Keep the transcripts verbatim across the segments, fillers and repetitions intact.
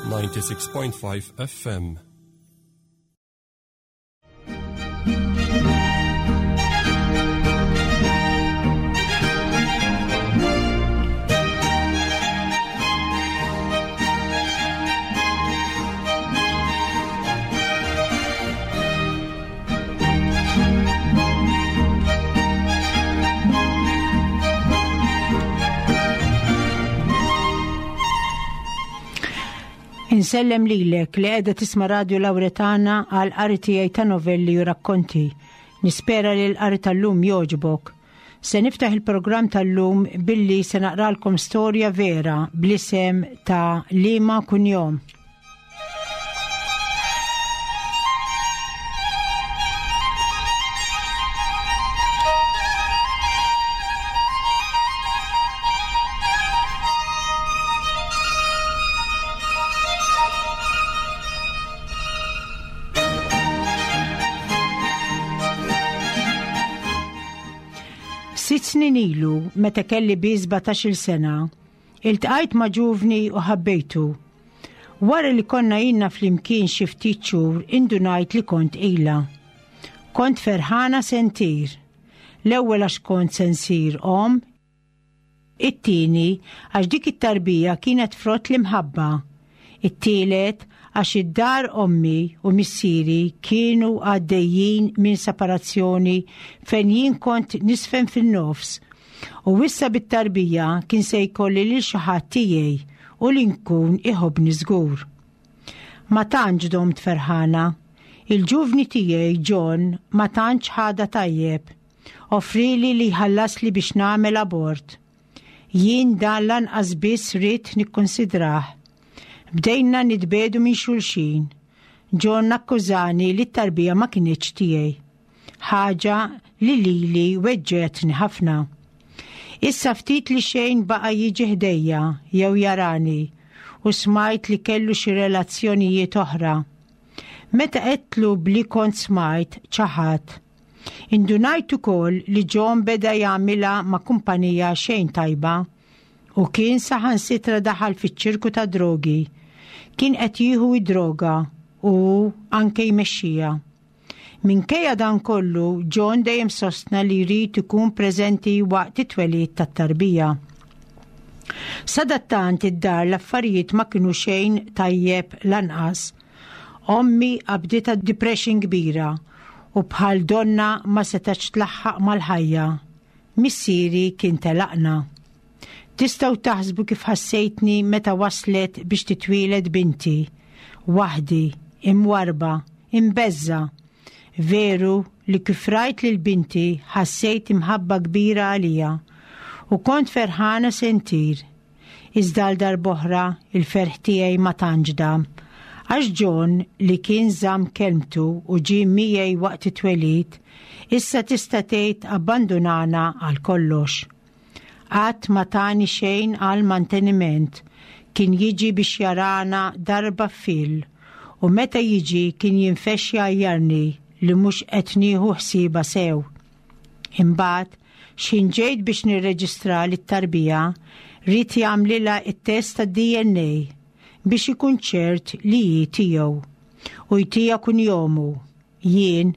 ninety-six point five F M. Insellem lilek li qiegħda tisma' Radio Lauretana għal qari tiegħi ta' novelli u rakkonti. Nispera li l-qari tal-lum jogħġbok. Se niftaħ il-programm tal-lum billi se naqralkom storja vera bl-isem ta' Liema Kunjom. Sitt snin ilu, meta kelli bi sbatax-il sena, iltqajt ma' ġuvni u ħabbejtu. Wara li konna ilna flimkien xi ftit xhur, indunajt li kont ilha. Kont ferħana sentir. L-ewwel għax kont se nsir omm, it-tieni għax dik it-tarbija kienet frott l-imħabba, it-tielet għax id-dar ommi u missieri kienu għaddejjin minn separazzjoni fejn jien kont nisfen fin-nofs u issa bit-tarbija kien se jkolli lil xi ħadd tiegħi u li nkun iħobbni żgur. Ma tantx domt ferħana. Il-ġuvni tiegħi John ma tantx ħadha tajjeb. Offrili li jħallasli biex nagħmel abort. Jien dan lanqas biss ridt nikkonsidrah. Bdejna nitbedu minn xulxin. John akkużani li t-tarbija ma kinitx tiegħi. Ħaġa li lili weġġetni ħafna. Issa ftit li xejn baqa' jiġi ħdejja jew jarani u smajt li kellu xi relazzjonijiet oħra. Meta qedtlu bli kont smajt ċaħat. Indunajt ukoll li John beda jagħmilha ma' kumpanija xejn tajba u kien saħansitra daħal fiċ-ċirku ta' drogi. Kien qed jieħu id-droga u anke jmexxija. Minkejja dan kollu, John dejjem sostna li jrid ikun preżenti waqt it-twelid tat-tarbija. Sadattant id-dar l-affarijiet ma kienu xejn tajjeb lanqas. Ommi qabditha depression kbira u bħal donna ma setax tlaħħaq mal-ħajja. Missieri kien telaqna. Tistgħu taħsbu kif ħassejtni meta waslet biex titwieled binti. Waħdi, imwarba, imbeżza. Veru li kif rajt lil binti ħassejt imħabba kbira għalija u kont ferħana sentir. Iżda għal darb'oħra il-ferħ tiegħi ma tantx dam. Għax John li kien żamm kelmtu u ġie miegħi waqt it-twelid, issa tista' tgħid abbandunana għal kollox. Qatt ma tani xejn għal manteniment, kien jiġi biex jarana darba fil, u meta jiġi kien jinfexx jgħajjarni li mhux qed nieħu ħsiebha sew. Imbagħad, x'ħin ġejt biex nirreġistra lit-tarbija, ried jagħmlilha t-test tad-D N A biex ikun ċert li hi tiegħu u jtiha kunjomu. Jien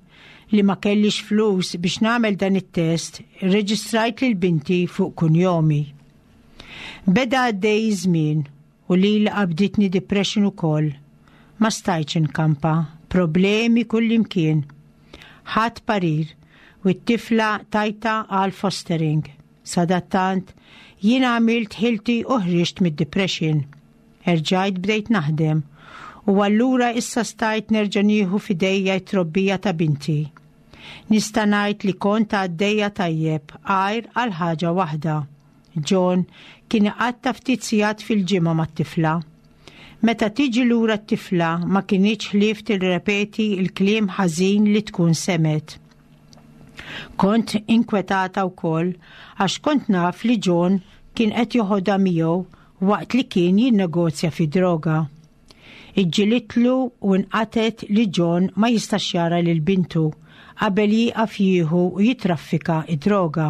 li ma kellix flus biex nagħmel dan it-test, irreġistrajt lil binti fuq kunjomi. Beda għaddej żmien u lili qabditni depression ukoll. Ma stajtx inkampa, problemi kullimkien. Ħadd parir u t-tifla tajta għal fostering. Sadattant, jien għamilt ħilti u ħriġt mid-depression. Erġajt bdejt naħdem u allura issa stajt nerġa' nieħu f'idejja t-trobbija ta' binti. Nista' ngħid li kont għaddejja tajjeb għajr għal ħaġa waħda. John kien iqatta' ftit sigħat fil-ġimgħa mat-tifla. Meta tiġi lura t-tifla ma kinitx ħlief tirrepeti l-kliem ħażin li tkun semet. Kont inkwetata wkoll għax kont naf li John kien qed joħodha miegħu waqt li kien jinnegozja fi droga. Iġġilitlu u nqatet li John ma jistax jara lil bintu qabel jieqaf jieħu u jitraffika id-droga.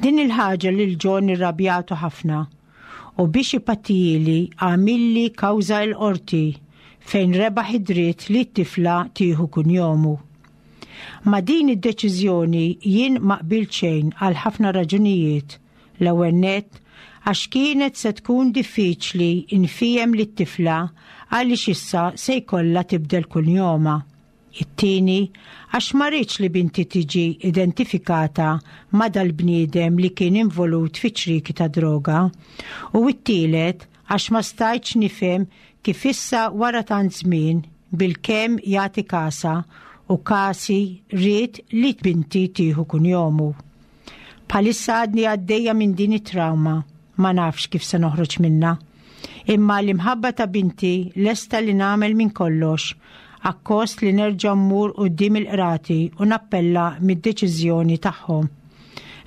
Din il-ħaġa lil John irrabjatu ħafna U biex ipattili għamilli kawża l-qorti fejn rebaħ id-dritt li t-tifla tieħu kunjomu. Ma' din id-deċiżjoni jien ma qbilt xejn għal ħafna raġunijiet. L-ewwel nett għax kienet se tkun diffiċli nfiehem lit-tifla għaliex issa se jkollha tibdel kunjomha. It-tieni għax ma rridx li binti tiġi identifikata ma' dal-bniedem li kien involut fi ċriki ta' droga. U t-tielet għax ma stajtx nifhem kif issa wara tant żmien bilkemm jagħti kasha u kasi ried li binti tieħu kunjomu. Bħalissa għadni għaddejja minn din it-trauma, ma nafx kif se noħroġ minna. Imma l-imħabba ta' binti lesta li nagħmel minn kollox, akkost li nerġa' mmur quddiem il-qrati u nappella mid-deċiżjoni tagħhom.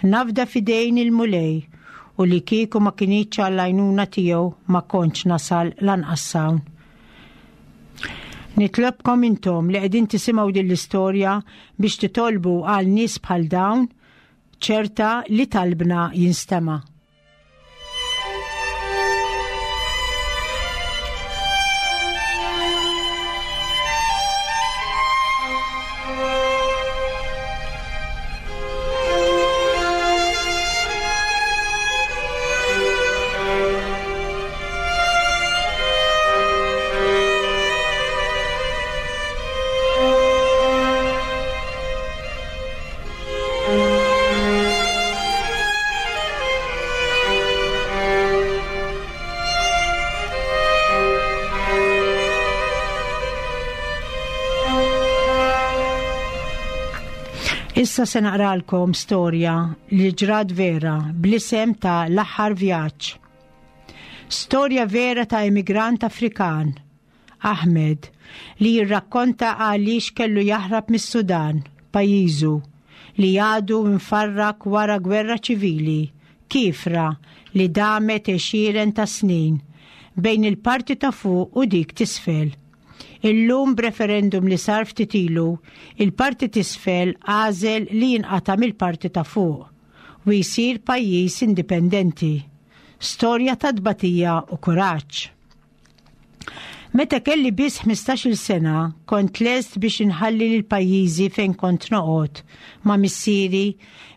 Nafda f'idejn il-Mulej u li kieku ma kinitx għall-għajnuna tiegħu ma kontx nasal lanqas hawn. Nitlobkom intom li qegħdin tisimgħu din l-istorja biex titolbu għal nies bħal dawn, ċerta li talbna jinstema'. Issa se naqralkom storja li ġrat vera bl-isem ta' L-aħħar vjaġġ. Storja vera ta' immigrant Afrikan, Ahmed, li jirrakkonta għaliex kellu jaħrab mis-Sudan, pajjiżu, li għadu mfarrak wara gwerra ċivili, kiefra li damet għexieren ta' snin bejn il-parti ta' fuq u dik t'isfel. Illum b'referendum li sar ftit ilu, il-parti t'isfel għażel li jinqata' mill-parti ta' fuq u jsir pajjiż indipendenti. Storja ta' tbatija u kuraġġ. Meta kelli biss ħmistax-il sena, kont lest biex inħalli lil pajjiżi fejn kont noqgħod ma' missieri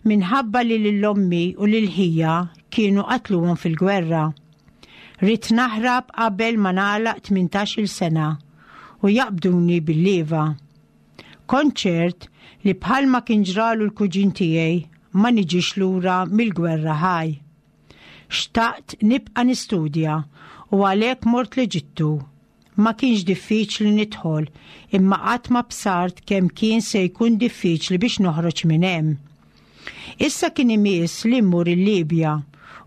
minħabba li lil ommi u lil ħija kienu qatluhom fil-gwerra. Ridt naħrab qabel ma nagħlaq tmintax-il sena u jaqbduni bil-leva. Kont ċert li bħalma kien ġralu l-kuġin tiegħi ma niġix lura mill-gwerra ħaj. Xtaqt nibqa' nistudja u għalhekk mort l-Eġittu. Ma kienx diffiċli nidħol, imma qatt ma bsart kemm kien se jkun diffiċli biex noħroġ minn hemm. Issa kien imiss li mmur il-Libja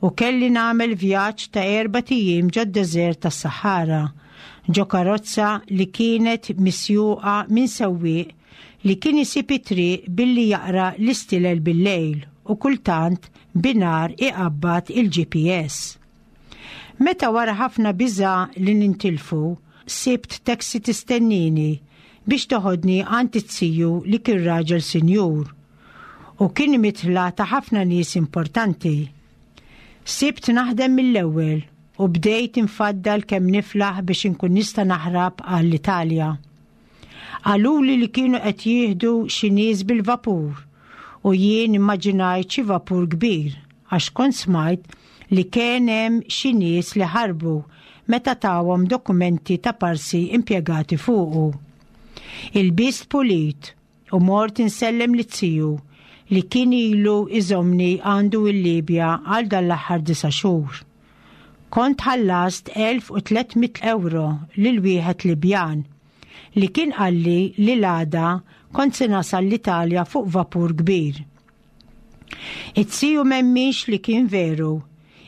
u kelli nagħmel vjaġġ ta' erba' ijiem ġod-deżert tas-Sahara, ġo karozza li kienet misjuqa minn sewwieq li kien isib it-triq billi jaqra l-istilel bil-lejl u kultant binar iqabbad il-G P S. Meta wara ħafna biża' li nintilfu, sibt taxi tistennini biex toħodni għand it-siju li kien raġel sinjur u kien mitla ta' ħafna nies importanti. Sibt naħdem mill-ewwel u bdejt infaddal kemm niflaħ biex inkun nista' naħrab għall-Italja. Qaluli li kienu qed jieħdu xi nies bil-vapur u jien immaġinajt xi vapur kbir għax kont smajt li kien hemm xi nies li ħarbu meta tawhom dokumenti ta' parsi impjegati fuqu. Ilbist pulit u mort insellem lit-tiju li kien ilu iżomni għandu l-Libja għal dan l-aħħar disa' xhur. Kont ħallast elf u tliet mitt euro lil wieħed Libjan li kien qalli li l-għada kont se nasal l-Italja fuq vapur kbir. It-siju m'hemmix li kien veru,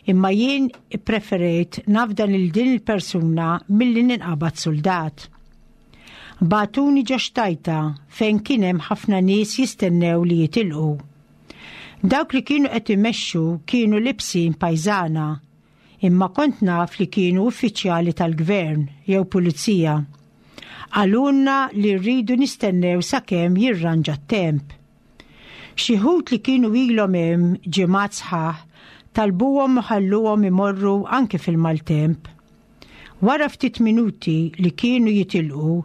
imma jien ippreferejt nafda lil din il-persuna milli ninqabad soldat. Bagħtuni ġo xtajta fejn kien hemm ħafna nies jistennew li jitilqu. Dawk li kienu qed imexxu kienu libsin pajżana, imma kont naf li kienu uffiċjali tal-gvern jew pulizija. Qalulna li rridu nistennew sakemm jirranġa t-temp. Xi wħud li kienu ilhom hemm ġimgħat sħaħ Talbuhom u ħalluhom imorru anke fil-maltemp. Wara ftit minuti li kienu jitilqu,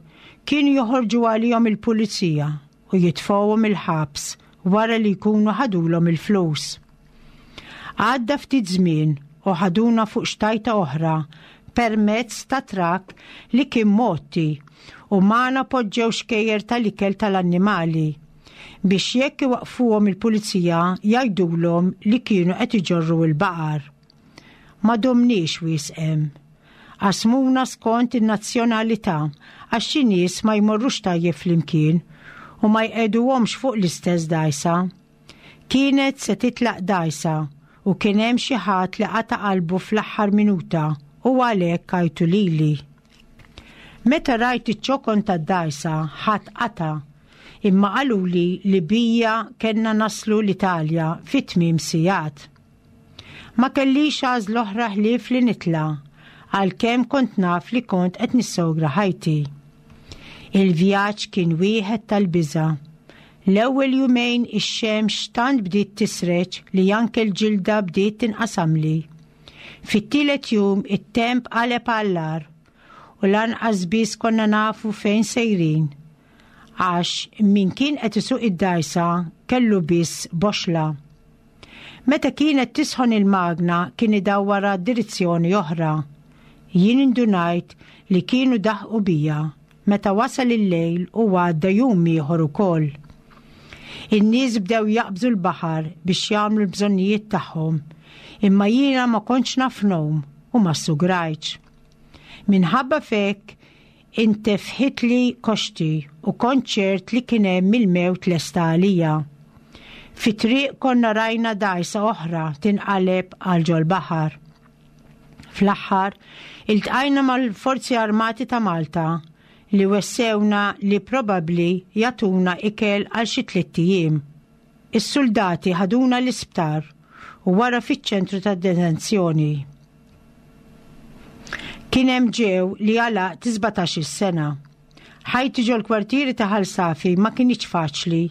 kienu joħorġu għalihom il-pulizija u jitfgħuhom il-ħabs wara li jkunu ħadulhom il-flus. Għadda ftit żmien u ħaduna fuq xtajta oħra permezz ta' trakk li kien mgħotti u magħna poġġew xkejjer tal-ikel tal-annimali biex jekk iwaqfuhom il-pulizija jgħidulhom li kienu qed iġorru l-baqar. Ma domniex wisq hemm. Qasmuna skont in-nazzjonalità għax xi nies ma jmorrux tajjeb flimkien u ma jqegħduhomx fuq l-istess dgħajsa. Kienet se titlaq dgħajsa u kien hemm xi ħadd li qata' qalbu fl-aħħar minuta u għalhekk għajtu lili. Meta rajt iċ-ċokon tad-dgħajsa ħadd qata', imma qaluli li bija kellna naslu l-Italja fi tmiem sigħat. Ma kellix għażla oħra ħlief li nitla', għalkemm kont naf li kont qed nissogra ħajti. Il-vjaġġ kien wieħed tal-biża'. L-ewwel jumejn ix-xemx tant bdiet tisreġ li anke l-ġilda bdiet tinqasamli. Fit-tielet jum it-temp qaleb għall-agħar u lanqas biss konna nafu fejn sejrin, għax min kien qed isuq id-dgħajsa kellu biss boxla. Meta kienet tisħon il-magna kien idawwara direzzjoni oħra. Jien indunajt li kienu daħqu bija meta wasal il-lejl u għadda jum ieħor ukoll. In-nies bdew jaqbżu l-baħar biex jagħmlu l-bżonnijiet tagħhom, imma jiena ma kontx naf ngħum u ma ssugrajtx. Minħabba fek intefħitli koxti u kont ċert li kien hemm il-mewt lesta għalija. Fit-triq konna rajna dgħajsa oħra tinqaleb għal ġol-baħar. Fl-aħħar, iltqajna mal-Forzi Armati ta' Malta li wessewna li probabbli jagħtuna ikel għal xi tliet ijiem. Is-soldati ħaduna l-isptar u wara fiċ-ċentru ta' detenzjoni. Kien hemm ġew li għalaq sbatax-il sena. Ħajti ġol-kwartieri ta' Ħal Safi ma kinitx faċli.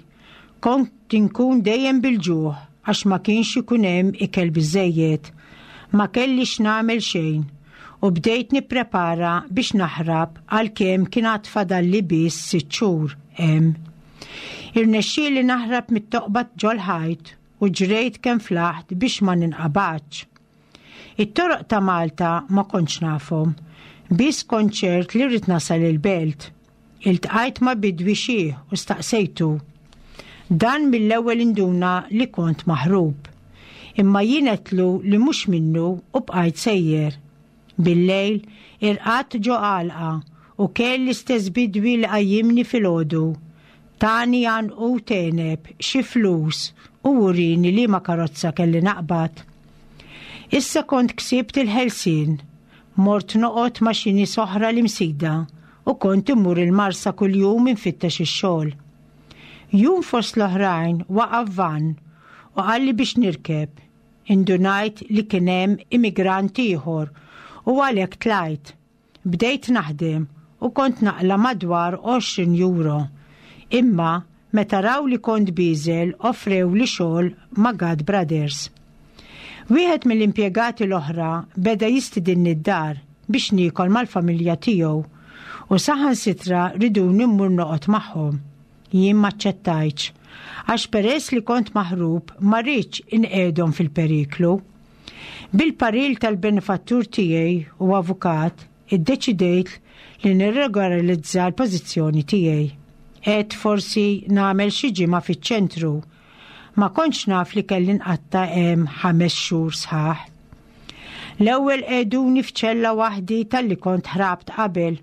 Kont inkun dejjem bil-ġuħ għax ma kienx ikun hemm ikel biżejjed. Ma kellix nagħmel xejn u bdejt nipprepara biex naħrab għalkemm kien għad fadalli biss sitt xhur hemm. Irnexxieli naħrab mit-toqba ġol-ħajt u ġrejt kemm flaħt biex ma ninqabadx. It-toroq ta' Malta ma kontx nafhom, biss kont ċert li rrid nasal il-belt. Iltqajt ma' bidwi xiħ u staqsejtu. Dan mill-ewwel induna li kont maħrub. Imma jien għedtlu li mhux minnu u bqajt sejjer. Bil-lejl irqadt ġo għalqa u kelli l-istess bidwi li qajjimni filgħodu. Tani għanqud għeneb, xi flus u urini li ma karozza kelli naqbad. Issa kont ksibt il-ħelsien, mort noqgħod ma' xi nies oħra l-Imsida u kont immur il-Marsa kuljum infittex ix-xogħol. Jum fost l-oħrajn waqaf van u qalli biex nirkeb. Indunajt li kien hemm immigrant ieħor u għalhekk tlajt. Bdejt naħdem u kont naqla madwar għoxrin euro. Imma meta raw li kont biżel offrew li xogħol ma' God Brothers. Wieħed mill-impjegati l-oħra beda jistidinni d-dar biex niekol mal-familja tiegħu u saħansitra riduni mmur noqgħod magħhom. Jien maċċettajtx għax peress li kont maħrub ma rridx inqegħdhom fil-periklu. Bil-paril tal-benefattur tiegħi u avukat iddeċidejt li nirregolarizza l-pożizzjoni tiegħi. Għedt forsi nagħmel xi ġimgħa fiċ-ċentru. Ma kontx naf li kelli nqatta' hemm ħames xhur sħaħ. L-ewwel qegħduni f'ċella waħdi talli kont ħrabt qabel.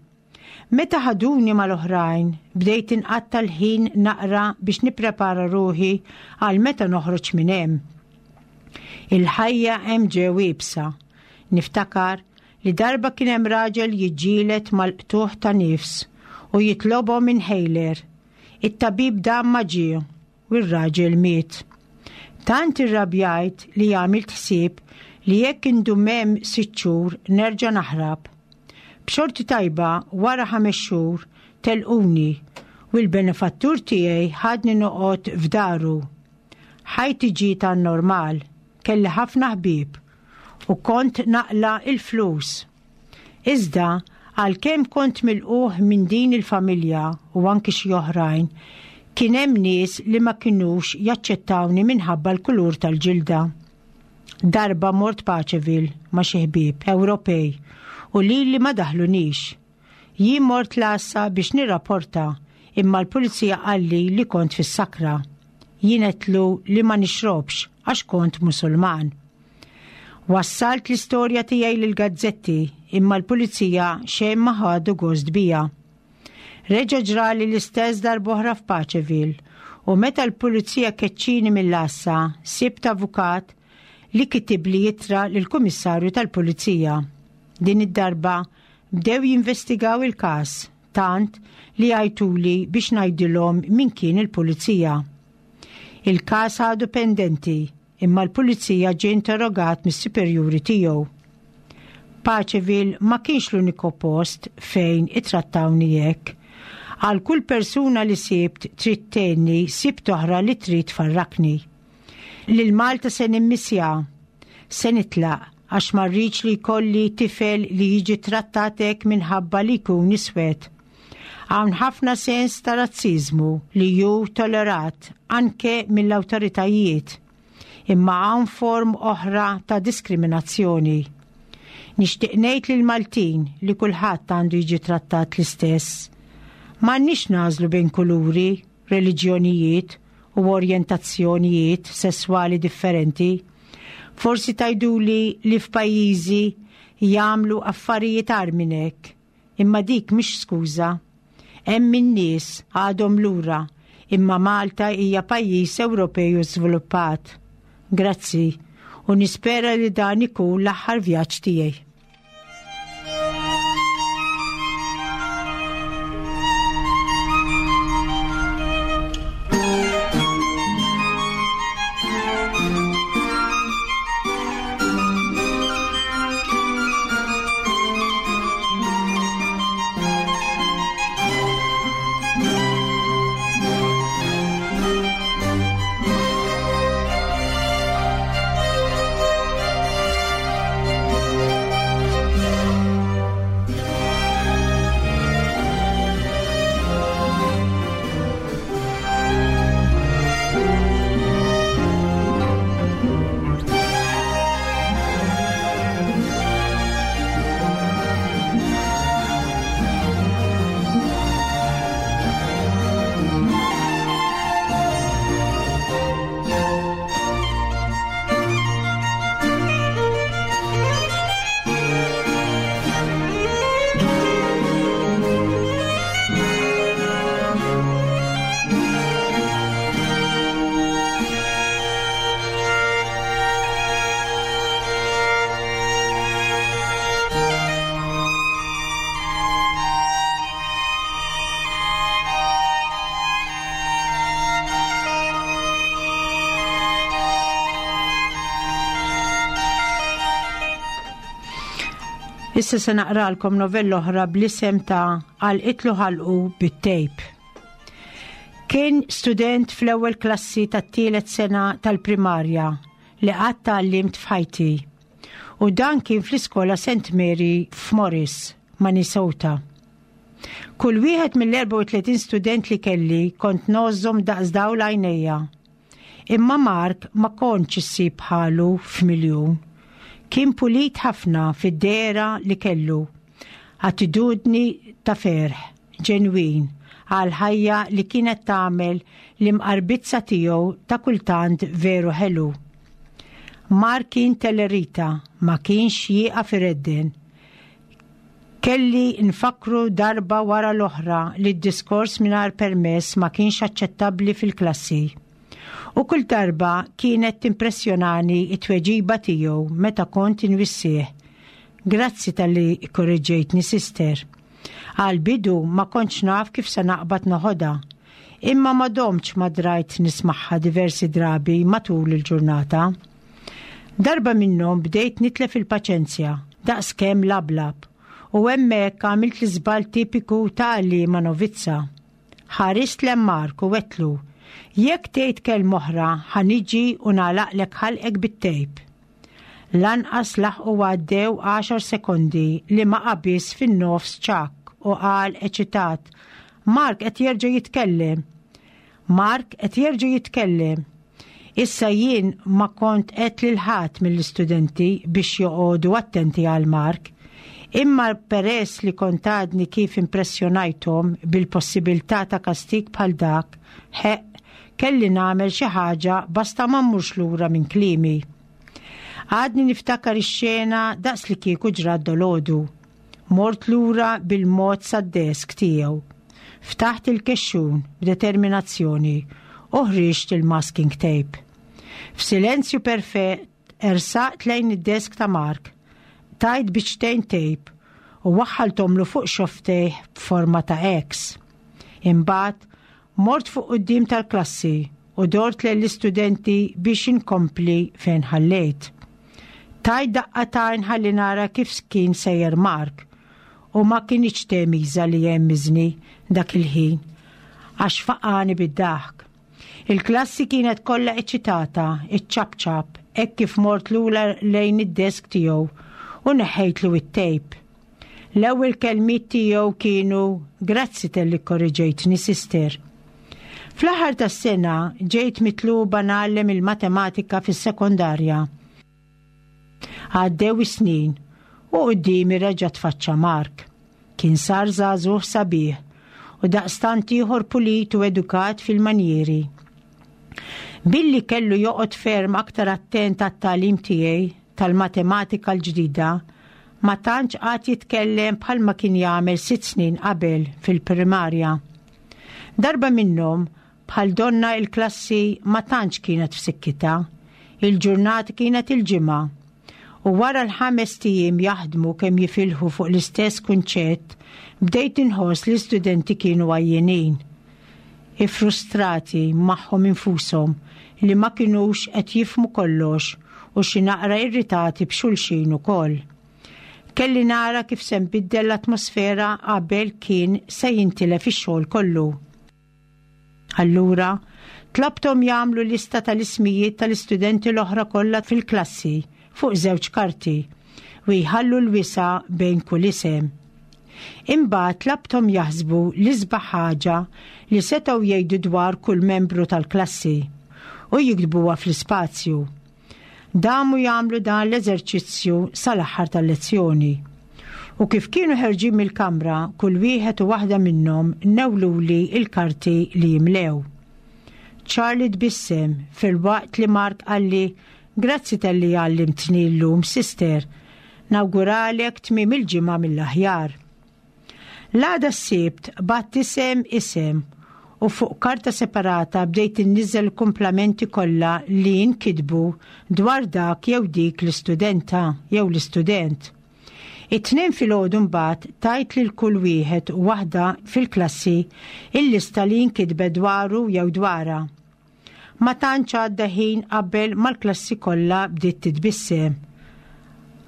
Meta ħaduni mal-oħrajn, bdejt inqatta' l-ħin naqra biex nipprepara ruħi għal meta noħroġ minn hemm. Il-ħajja hemm ġew iebsa. Niftakar li darba kien hemm raġel jiġġieled mal-qtuħ ta' nifs u jitlobhom inhaler. It-tabib dam ma ġie u r-raġel miet. Tant irrabjajt li għamilt ħsieb li jekk indum hemm sitt xhur nerġa' naħrab. B'xorti tajba wara ħames xhur telquni u l-benefattur tiegħi ħadni noqgħod f'daru. Ħajti ġiet għan-normal. Kelli ħafna ħbieb u kont naqla il-flus. Iżda, għalkemm kont milqugħ minn din il-familja u anki xi oħrajn, kien hemm nies li ma kinux jaċċettawni minħabba l-kulur tal-ġilda. Darba mort Paceville ma' xi ħbieb Ewropej u lili ma daħlunix. Jien mort l-għassa biex nirrapporta, imma l-pulizija qalli li kont fis-sakra. Jien għedtlu li ma nixrobx għax kont Musulman. Wassalt l-istorja tiegħi lill-gazzetti, imma l-pulizija xejn ma ħadu gost bija. Reġa' ġrali l-istess darb'oħra f'Paceville u meta l-pulizija keċċini mill-għassa, sibt avukat li kitibli ittra lill-kummissarju tal-pulizija. Din id-darba bdew jinvestigaw il-każ, tant li għajtuli biex ngħidilhom min kien il-pulizija. Il-każ għadu pendenti, imma l-pulizija ġie interrogat mis-superjuri tiegħu. Paceville ma kienx l-uniku post fejn ittrattawni hekk. Għal kull persuna li sibt trid tgħinni, sibt oħra li trid tfarrakni. Lil Malta se nimmissja, se nitlaq għax ma rridx li jkolli tifel li jiġi trattat hekk minħabba li jkun iswed. Hawn ħafna sens ta' razziżmu li hu tolerat anke mill-awtoritajiet, imma hawn form oħra ta' diskriminazzjoni. Nixtieq ngħid lil Maltin li kulħadd għandu jiġi trattat l-istess. M'għandniex nagħżlu bejn kuluri, reliġjonijiet u orjentazzjonijiet sesswali differenti. Forsi tgħiduli li f'pajjiżi jagħmlu affarijiet agħar minn hekk, imma dik mhix skuża. Hemm in-nies għadhom lura, imma Malta hija pajjiż Ewropej u żviluppat. Grazzi, u nispera li dan ikun l-aħħar vjaġġ tiegħi. Issa se naqralkom novella oħra bl-isem ta' Għalqitlu ħalqu bit-tejp. Kien student fl-ewwel klassi tat-tielet sena tal-primarja li qatt tgħallimt f'ħajti. U dan kien fl-iskola Saint Mary f'Morris, Minnesota. Kull wieħed mill-erbgħa u tletin student li kelli kont ngħożżhom daqs dawl għajnejja. Imma Mark ma kontx issib bħalu f'miljun. Kien pulit ħafna fid-dehra li kellu. Attitudni ta' ferħ, ġenwin, għal ħajja li kienet tagħmel l-imqarbizza tiegħu ta' kultant veru ħelu. Mark kien tellerita, ma kienx jieqaf iredden. Kelli nfakru darba wara l-oħra li d-diskors mingħajr permess ma kienx aċċettabbli fil-klassi. U kull darba kienet timpressjonani it-tweġiba tiegħu meta kont inwissih. Grazzi talli korreġejtni, sister. Għal bidu ma kontx naf kif se naqbad noħodha, imma ma domtx ma drajt nismaħħa diversi drabi matul il-ġurnata. Darba minnhom bdejt nitlef il-paċenzja, daqskemm lablab, u hemmhekk għamilt l-iżball tipiku ta' għalliema novizza. Ħarist lejn Mark u għedtlu Jekk tgħid kelma oħra, ħa niġi u nagħlaqlek ħalqek bit-tejp. Lanqas laħqu għaddew għaxar sekondi li ma qabiż fin-nofs Chuck u qal eċitat: "Mark qed jerġa' jitkellem. Mark qed jerġa' jitkellem." Issa jien ma kont għedt lil ħadd mill-istudenti biex joqogħdu attenti għal Mark, imma peress li kont għadni kif impressjonajthom bil-possibilità ta' kastik bħal dak, ħeq, kelli nagħmel xi ħaġa basta ma mmurx lura minn kliemi. Għadni niftakar ix-xena daqs li kieku ġrat dalgħodu. Mort lura bil-mod sad-desk tiegħu. Ftaħt il-kexxun b'determinazzjoni u ħriġt il-masking tape. F'silenzju perfett ersaqt lejn id-desk ta' Mark. Qtajt biċċtejn tape u waħħaltomlu fuq xofftejh b'forma ta' X. Imbagħad mort fuq quddiem tal-klassi u dort l-istudenti biex inkompli fejn ħallejt. Tajt daqqa t'għajn ħalli nara kif kien sejjer Mark u ma kinitx temiża li jemmiżni dak il-ħin għax faqani bid-daħk. Il-klassi kienet kollha eċitata, iċ-ċapċap, hekk kif mort lura lejn id-desk tiegħu u neħħejtlu it-tejp. L-ewwel kelmiet tiegħu kienu: "Grazzi talli korreġejtni, sister." Fl-aħħar tas-sena ġejt mitluba ngħallem il-matematika fis-sekondarja. Għaddew is-snin u quddiemi reġa' tfaċċa Mark. Kien sar żagħżugħ sabiħ u daqstant ieħor pulit u edukat fil-manjieri. Billi kellu joqgħod ferm aktar attent għat-tagħlim tiegħi tal-matematika l-ġdida, ma tantx qagħad jitkellem bħalma kien jagħmel sitt snin qabel fil-primarja. Darba minnhom, bħal donna il-klassi ma tantx kienet f'sikkita, il-ġurnata kienet il-Ġimgħa. U wara l-ħames ijiem jaħdmu kemm jifilħu fuq l-istess kunċett, bdejt inħoss li studenti kienu għajjenin. Ifrustrati magħhom infushom li ma kinux qed jifhmu kollox u xi naqra irritati b'xulxin ukoll. Kelli nara kif se nbiddel l-atmosfera qabel kien se jintilef ix-xogħol kollu. Allura, tlabtom jagħmlu lista tal-ismijiet tal-istudenti l-oħra kollha fil-klassi fuq żewġ karti u jħallu l-wisa' bejn kull isem. Imbagħad tlabtom jaħsbu l-isbaħ ħaġa li setgħu jgħidu dwar kull membru tal-klassi u jiktbuha fl-ispazju. Damu jagħmlu dan l-eżerċizzju sal-aħħar tal-lezzjoni. U kif kienu ħerġin mill-kamra, kull wieħed u waħda minnhom newluli il-karti li jimlew. Charlie tbissem filwaqt li Mark qalli: "Grazzi talli għallimtni llum, sister. Nawguralek tmiem il-ġimgħa mill-aħjar." L-għada s-Sibt bgħatt isem isem u fuq karta separata bdejt inniżel kumplimenti kollha li nkitbu dwar dak jew dik l-istudenta jew l-istudent. It-Tnejn filgħodu mbagħad tajt lil kull wieħed u waħda fil-klassi il-lista li nkitbet dwaru jew dwarha. Ma tantx għadda ħin qabel mal-klassi kollha bdiet titbissem.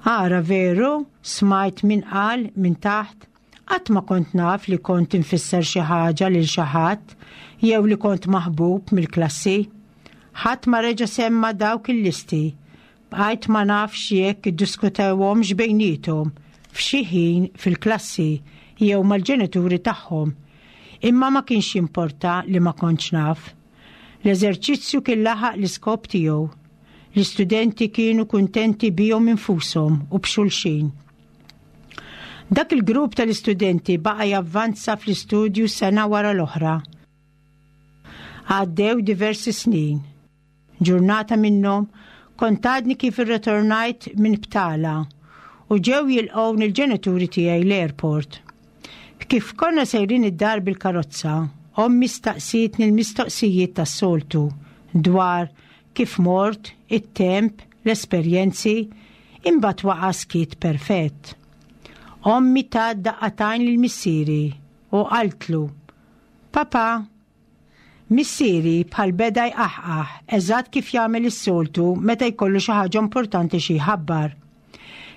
"Ara veru," smajt min qal minn taħt, "qatt ma kont naf li kont infisser xi ħaġa lil xi ħadd jew li kont maħbub mill-klassi." Ħadd ma reġa' semma dawk il-listi. Bqajt ma nafx jekk iddiskutewhomx bejniethom f'xi ħin fil-klassi jew mal-ġenituri tagħhom. Imma ma kienx jimporta li ma kontx naf. L-eżerċizzju kien laħaq l-iskop tiegħu. L-istudenti kienu kuntenti bihom infushom u b'xulxin. Dak il-grupp tal-istudenti baqa' javvanza fl-istudju sena wara l-oħra. Għaddew diversi snin. Ġurnata minnhom kont għadni kif irritornajt minn btala u ġew jilqgħuni il-ġenituri tiegħi l-airport. Kif konna sejrin id-dar bil-karozza, ommi staqsietni l-mistoqsijiet tas-soltu dwar kif mort, it-temp, l-esperjenzi, imbagħad waqa' skiet perfett. Ommi tat daqqa t'għajn lil missieri u qaltlu: "Papa." Missieri bħal beda jqaħqaħ, eżatt kif jagħmel is-soltu meta jkollu xi ħaġa importanti xi jħabbar.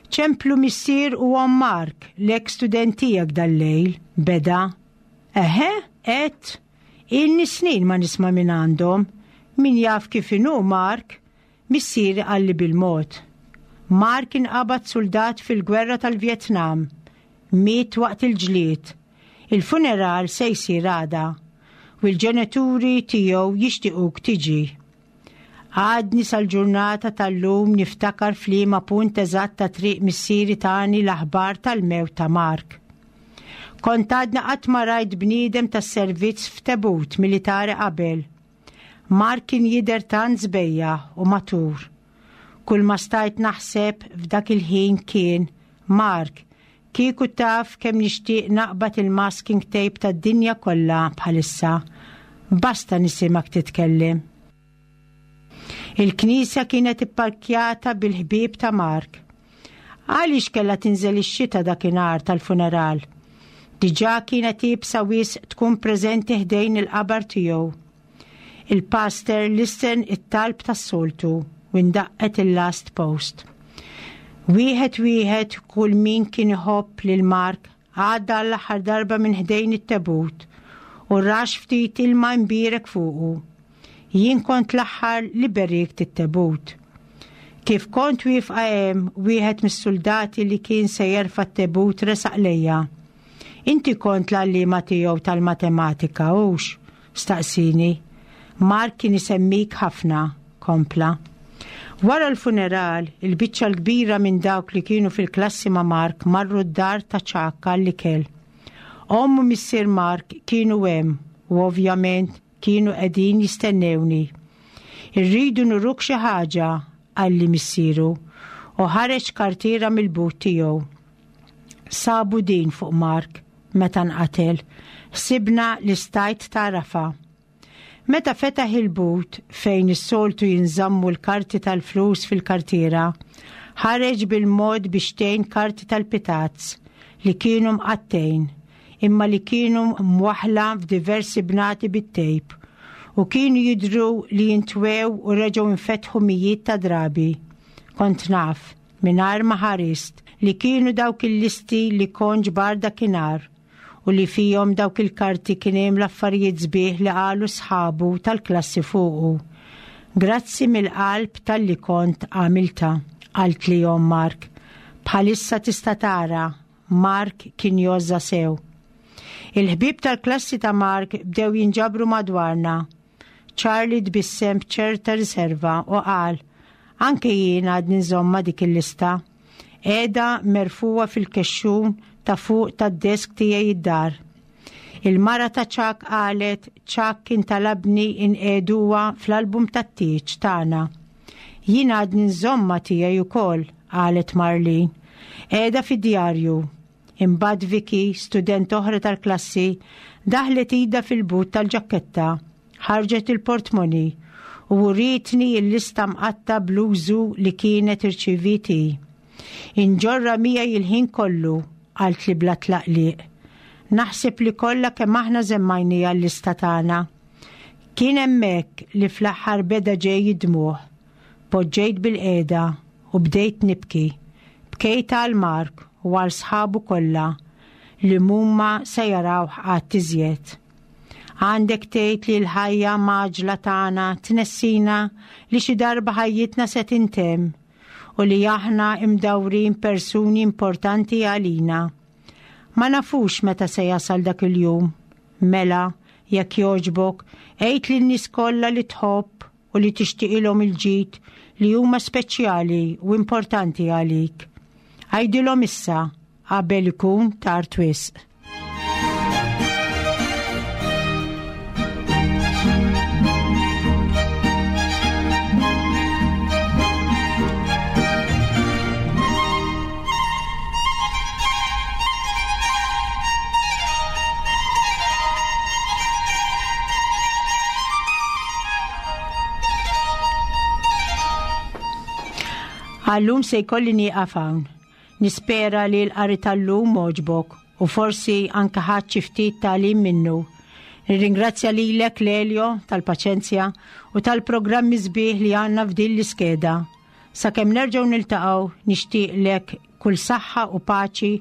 "Ċemplu missier u omm Mark, l-ex student tiegħek dal-lejl," beda. "Eħe," għedt, Ilni snin ma nisma' minn għandhom. Min jaf kif inhu Mark? Missieri qalli bil-mod. Mark inqabad suldat fil-gwerra tal-Vjetnam. Miet waqt il-ġlied. Il-funeral se jsir għada u l-ġenituri tiegħu jixtiequk tiġi. Għadni sal-ġurnata tal-lum niftakar f'liema punt eżatt ta' triq missieri tani l-aħbar tal-mewt ta' Mark. Kont għadna qatt ma rajt bniedem tas-servizz f'tebut militari qabel. Mark kien jidher tant sbejjaħ u matur. Kull ma stajt naħseb f'dak il-ħin kien, Mark, kieku taf kemm nixtieq naqbad il-masking tape tad-dinja kollha bħalissa. Basta nisimgħek titkellem. Il-knisja kienet ipparkjata bil-ħbieb ta' Mark. Għaliex kellha tinżel ix-xita dakinhar tal-funeral? Diġà kienet iebsa wisq tkun preżenti ħdejn il-qabar tiegħu. Il-pastor lissen it-talb tas-soltu u ndaqqet il-last post. Wieħed wieħed kull min kien iħobb lil Mark għadda l-aħħar darba minn ħdejn it-tebut u rax ftit ilma mbierek fuqu. Jien kont l-aħħar li berikt it-tebut. Kif kont wieqfa hemm, wieħed mis-soldati li kien se jerfa' t-tebut resaq lejja. Inti kont l-għalliema tiegħu tal-matematika, hux? Staqsini. Mark kien isemmik ħafna, kompla. Wara l-funeral, il-biċċa l-kbira minn dawk li kienu fil-klassi ma' Mark marru d-dar ta' Ċakka l-ikel. Omm u missier Mark kienu hemm u ovvjament kienu qegħdin jistennewni. Irridu nuruk xi ħaġa, qalli missieru, u ħareġ kartiera mill-but tiegħu. Sabu din fuq Mark meta nqatel, ħsibna li stajt tarafa. Meta fetaħ il-but fejn is-soltu jinżammu l-karti tal-flus fil-kartiera, ħareġ bil-mod biex tgħin karti tal-pitazz li kienu mqattejn, imma li kienu mwaħla f'diversi bnati bit-tejp u kienu jidhru li jintwew u reġgħu infetħu mijiet ta' drabi. Kont naf, mingħajr ma ħarist, li kienu dawk il-listi li kont ġbar dakinhar u li fihom dawk il-karti kien hemm l-affarijiet sbieħ li qalu sħabu tal-klassi fuqu. Grazzi mill-qalb talli kont għamilta, qalt li omm Mark. Bħalissa tista' tara, Mark kien jgħożżha sew. Il-ħbieb tal-klassi ta' Mark bdew jinġabru madwarna. Charlie tbissem b'ċerta riserva u qal, anke jien għadni nżommha dik il-lista. Qiegħda merfugħa fil-kexxun ta' fuq tad-desk tiegħi id-dar. Il-mara ta' Chuck qalet Chuck kien talabni inqiegħduha fl-album tat-tieġ tagħna. Jien għadni nżommha tiegħi wkoll, qalet Marlene. Qiegħda fid-djarju. Imbagħad Vicky, student oħra tal-klassi, daħlet idha fil-but tal-ġaketta, ħarġet il-portmoni u urietni l-lista mqatta bl-użu li kienet irċiviet hi. Inġorra miegħi il-ħin kollu, qaltli bla tlaqliq. Naħseb li kollha kemm aħna żemmajniha l-lista tagħna. Kien hemmhekk li fl-aħħar beda ġej id-dmugħ. Poġġejt bil-qiegħda u bdejt nibki. Bkejt għal Mark u għal sħabu kollha li mhuma se jarawh qatt iżjed. Għandek tgħid li l-ħajja mgħaġġla tagħna tnessina li xi darba ħajjitna se tintemm u li aħna imdawrin persuni importanti għalina. Ma nafux meta se jasal dak il-jum. Mela, jekk jogħġbok, għid lin-nies kollha li tħobb u li tixtieqilhom il-ġid li huma speċjali u importanti għalik. Għidilhom issa qabel ikun tard wisq. Għallum se jkolli nieqaf hawn. Nispera li l-qari tal-lum għoġbok u forsi anke ħadt xi ftit tagħlim minnu. Nirringrazzja lilek Lelio tal-paċenzja u tal-programmi sbieħ li għandna f'din l-iskeda. Sakemm nerġgħu niltaqgħu nixtieqlek kull saħħa u paċi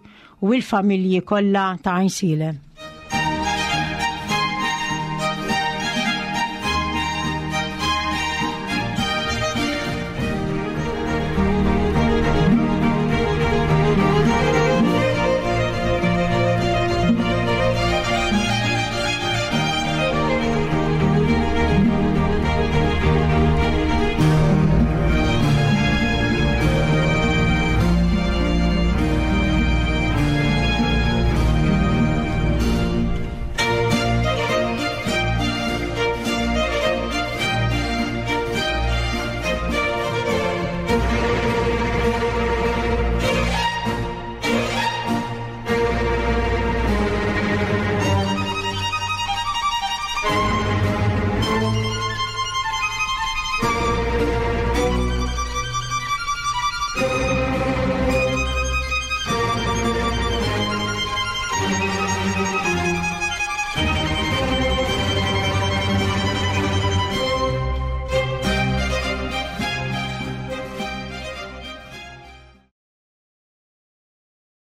u l-familji kollha ta' Għajnsielem.